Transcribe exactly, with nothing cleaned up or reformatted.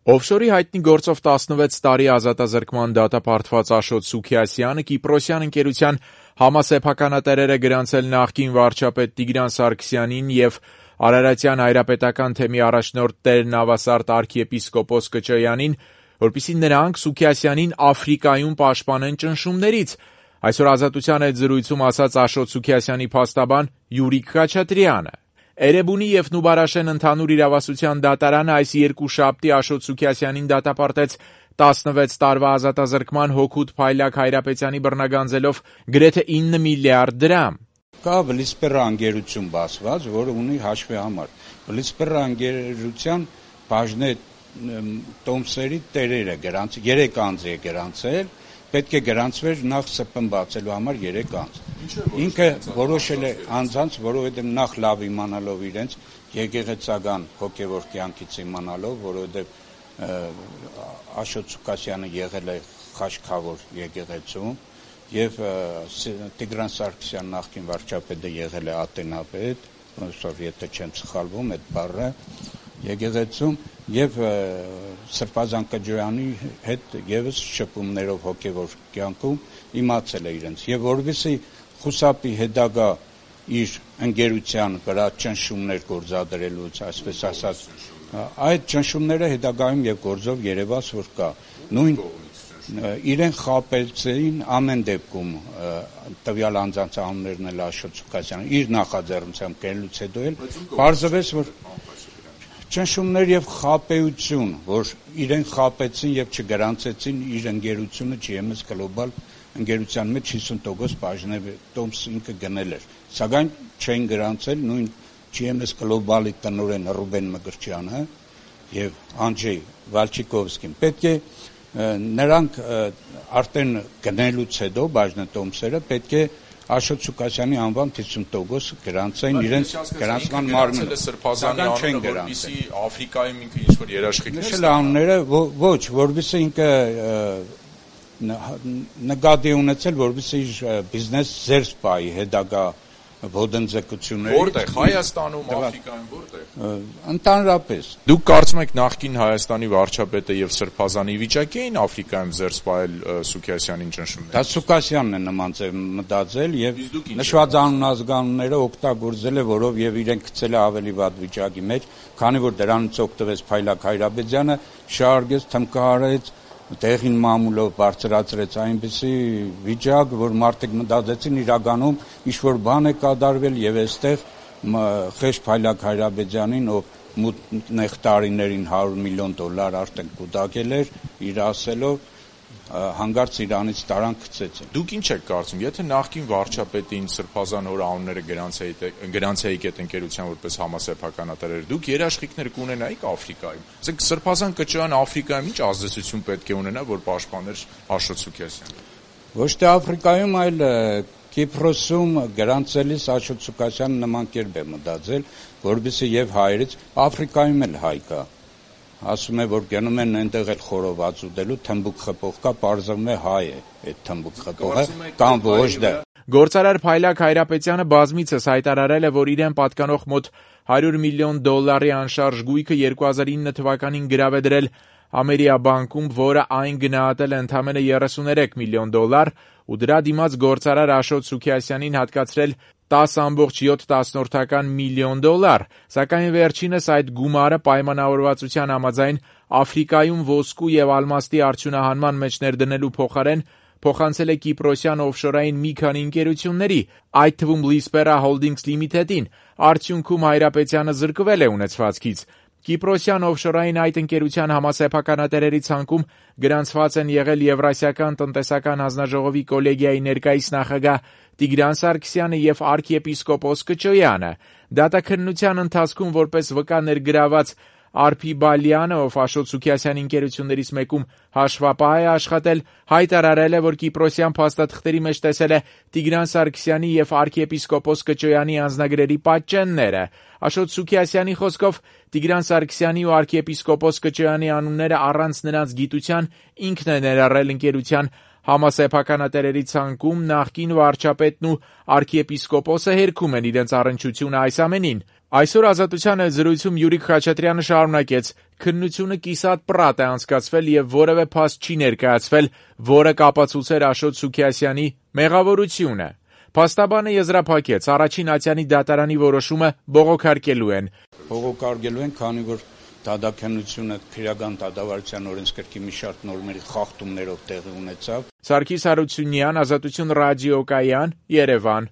Օֆշորի հայտնի գործով տասնվեց տարի ազատազրկման դատապարտված Աշոտ Սուքիասյանը կիպրոսյան ընկերության համասեփականատերերը գրանցել նախկին վարչապետ Տիգրան Սարգսյանին և Արարատյան հայրապետական թեմի առաջնորդ Տեր Նավասարդ արքիեպիսկոպոս Կճոյանին, որպեսզի նրանք Սուքիասյանին Աֆրիկայում պաշտպանեն ճնշումներից, այսօր Ազատության հետ զրույցում ասաց Աշոտ Սուքիասյանի փաստաբան Յուրիկ Խաչատրյանը։ Էրեբունի և Նուբարաշեն ընդհանուր իրավասության դատարանը այս երկուշաբթի Աշոտ Սուքիասյանին դատապարտեց տասնվեց տարվա ազատազրկման հօգուտ Փայլակ Հայրապետյանի բռնագանձելով գրեթե ինը միլիարդ դրամ։ Կա Բլիսպերա ընկերություն բացված, որը ունի հաշվի համար։ Բլիսպերա ընկերության բաժնե տոմսերի տերերը գրանցել, երեք անձ է գրանցել, պետք է գրանցվեր նախ Ս Պ Ն բացելու համար երեք անձ։ Ինքը որոշել է անձանց, որովհետև նախ լավ իմանալով իրենց եկեղեցական հոգևոր կյանքից իմանալով, որովհետև Աշոտ Սուքիասյանը եղել է խաչքավոր եկեղեցում եւ Տիգրան Սարգսյան նախկին վարչապետը եղել է ատենապետ, եթե չեմ սխալվում, այդ բառը եկեղեցում եւ Սրբազան Կճոյանի հետ եւս շփումներով հոգևոր կյանքում իմացել է իրենց եւ որովհետեւ խուսափի հետագա իր ընկերության վրա ճնշումներ գործադրելուց, այսպես ասած, այդ ճնշումները հետագայում եւ գործով երևաց, որ կա նույն իրեն խապեցին ամեն դեպքում տվյալ անձանց անուններն էլ Աշոտ Սուքիասյանը իր նախաձեռնությամբ կերելուց հետո էլ բարձվեց, որ ճնշումներ եւ խապեություն, որ իրեն խապեցին եւ չգրանցեցին իր ընկերությունը Ջի Էմ Էս Գլոբալ ընկերության մեջ հիսուն տոկոս բաժնե տոմս ինքը գնել էր, սակայն չէին գրանցել նույն Ջի Էմ Էս Գլոբալի տնօրեն Ռուբեն Մկրտչյանը եւ Անջեյ Վալչիկովսկին։ Պետք է նրանք արդեն գնելուց հետո բաժնետոմսերը պետք է Աշոտ Սուքիասյանի անվան հիսուն տոկոս գրանցային իրենց գրանցման մարմինը։ Սրբազանի անունը, որպեսզի Աֆրիկայում ինքը ինչ-որ երաշխիքներ նշել անունները ոչ, որպեսզի ինքը նկատի ունեցել, որպեսզի իր բիզնես զերծ պայի հետագա ոտնձգությունների։ Որտեղ Հայաստանում, Աֆրիկայում, որտեղ։ Ընդհանրապես։ Դուք կարծում եք նախկին Հայաստանի վարչապետը եւ Սրբազանի վիճակի էին Աֆրիկայում զերծ պահել Սուքիասյանին ճնշումներ։ Դա Սուքիասյանն է նման ձև մտածել եւ նշված անունազգանունները օգտագործել է, որով եւ իրեն գցել է ավելի վատ վիճակի մեջ, քանի որ դրանից օգտվեց Փայլակ Հայրապետյանը, շարժեց, թմկահարեց տեղին մամուլով բարձրացրեց այնպիսի վիճակ, որ մարդիկ մտածեցին իրականում ինչ-որ բան է կատարվել եւ այստեղ խեղճ Փայլակ Հայրապետյանին, ով մութ նեղտարիներին հարյուր միլիոն դոլար արդեն կուտակել էր, իր ասելով հանգարց Իրանից տարան գցեցին։ Դուք ինչ եք կարծում, եթե նախկին վարչապետին Սրբազան հոր անունները գրանցեիք այդ ընկերության որպես համասեփականատերեր, դուք երաշխիքներ կունենայիք Աֆրիկայում։ Ասենք Սրբազան Կճոյանը Աֆրիկայում ինչ ազդեցություն պետք է ունենա, որ պաշտպաներ Աշոտ Սուքիասյանին։ Ոչ թե Աֆրիկայում, այլ Կիպրոսում գրանցելիս Աշոտ Սուքիասյանը նման կերպ է մտածել, որովհետեւ եւ հայերից Աֆրիկայում էլ հայ կա։ Ասում է, որ գնում են այնտեղ էլ խորոված ուտելու, թմբուկ խփող կա, պարզվում է հայ է այդ թմբուկ խփողը, կամ ոչ դա։ Գործարար Փայլակ Հայրապետյանը բազմիցս հայտարարել է, որ իրեն պատկանող մոտ հարյուր միլիոն դոլարի անշարժ գույքը երկու հազար ինը թվականին գրավ է դրել Ամերիաբանկում, որը այն գնահատել է ընդամենը երեսուներեք միլիոն դոլար, ու դրա դիմաց գործարար Աշոտ Սուքիասյանին հատկացրել տասը կoma յոթ միլիոն դոլար, սակայն վերջինս այդ գումարը պայմանավորվածության համաձայն Աֆրիկայում ոսկու եւ ալմաստի արդյունահանման մեջ ներդնելու փոխարեն փոխանցել է կիպրոսյան օֆշորային մի քանի ընկերությունների, այդ թվում Բլիսպերա Holdings Limited-ին, արդյունքում Հայրապետյանը զրկվել է ունեցվածքից։ Կիպրոսյան օֆշորային այդ ընկերության համասեփականատերերի ցանկում գրանցված են եղել Եվրասիական տնտեսական հանձնաժողովի կոլեգիայի ներկայիս նախագահ Տիգրան Սարգսյանը եւ արքիեպիսկոպոս Կճոյանը։ Դատաքննության ընթացքում որպես վկա ներգրաված Արփի Բալյանը, ով Աշոտ Սուքիասյանի ընկերություններից մեկում հաշվապահ է աշխատել, հայտարարել է, որ կիպրոսյան փաստաթղթերի մեջ տեսել է Տիգրան Սարգսյանի եւ արքիեպիսկոպոս Կճոյանի անձնագրերի պատճենները։ Աշոտ Սուքիասյանի խոսքով Տիգրան Սարգսյանի ու արքիեպիսկոպոս Կճոյանի անունները առանց նրանց գիտության ինքն է ներառել ընկերության Համասեփականատերերի ցանկում նախկին վարչապետն ու արքիեպիսկոպոսը հերքում են իրենց առնչությունը այս ամենին։ Այսօր Ազատության հետ զրույցում Յուրիկ Խաչատրյանը շարունակեց. քննությունը կիսատ պռատ է անցկացվել եւ որևէ փաստ չի ներկայացվել, որը կապացուցեր Աշոտ Սուքիասյանի մեղավորությունը։ Փաստաբանը եզրափակեց. առաջին ատյանի դատարանի որոշումը բողոքարկելու են։ Բողոքարկելու են, քանի որ դատաքննությունը քրեական դատավարության օրենսգրքի մի շարք նորմերի խախտումներով տեղի ունեցավ։ Սարգիս Հարությունյան, Ազատություն ռադիոկայան, Երևան։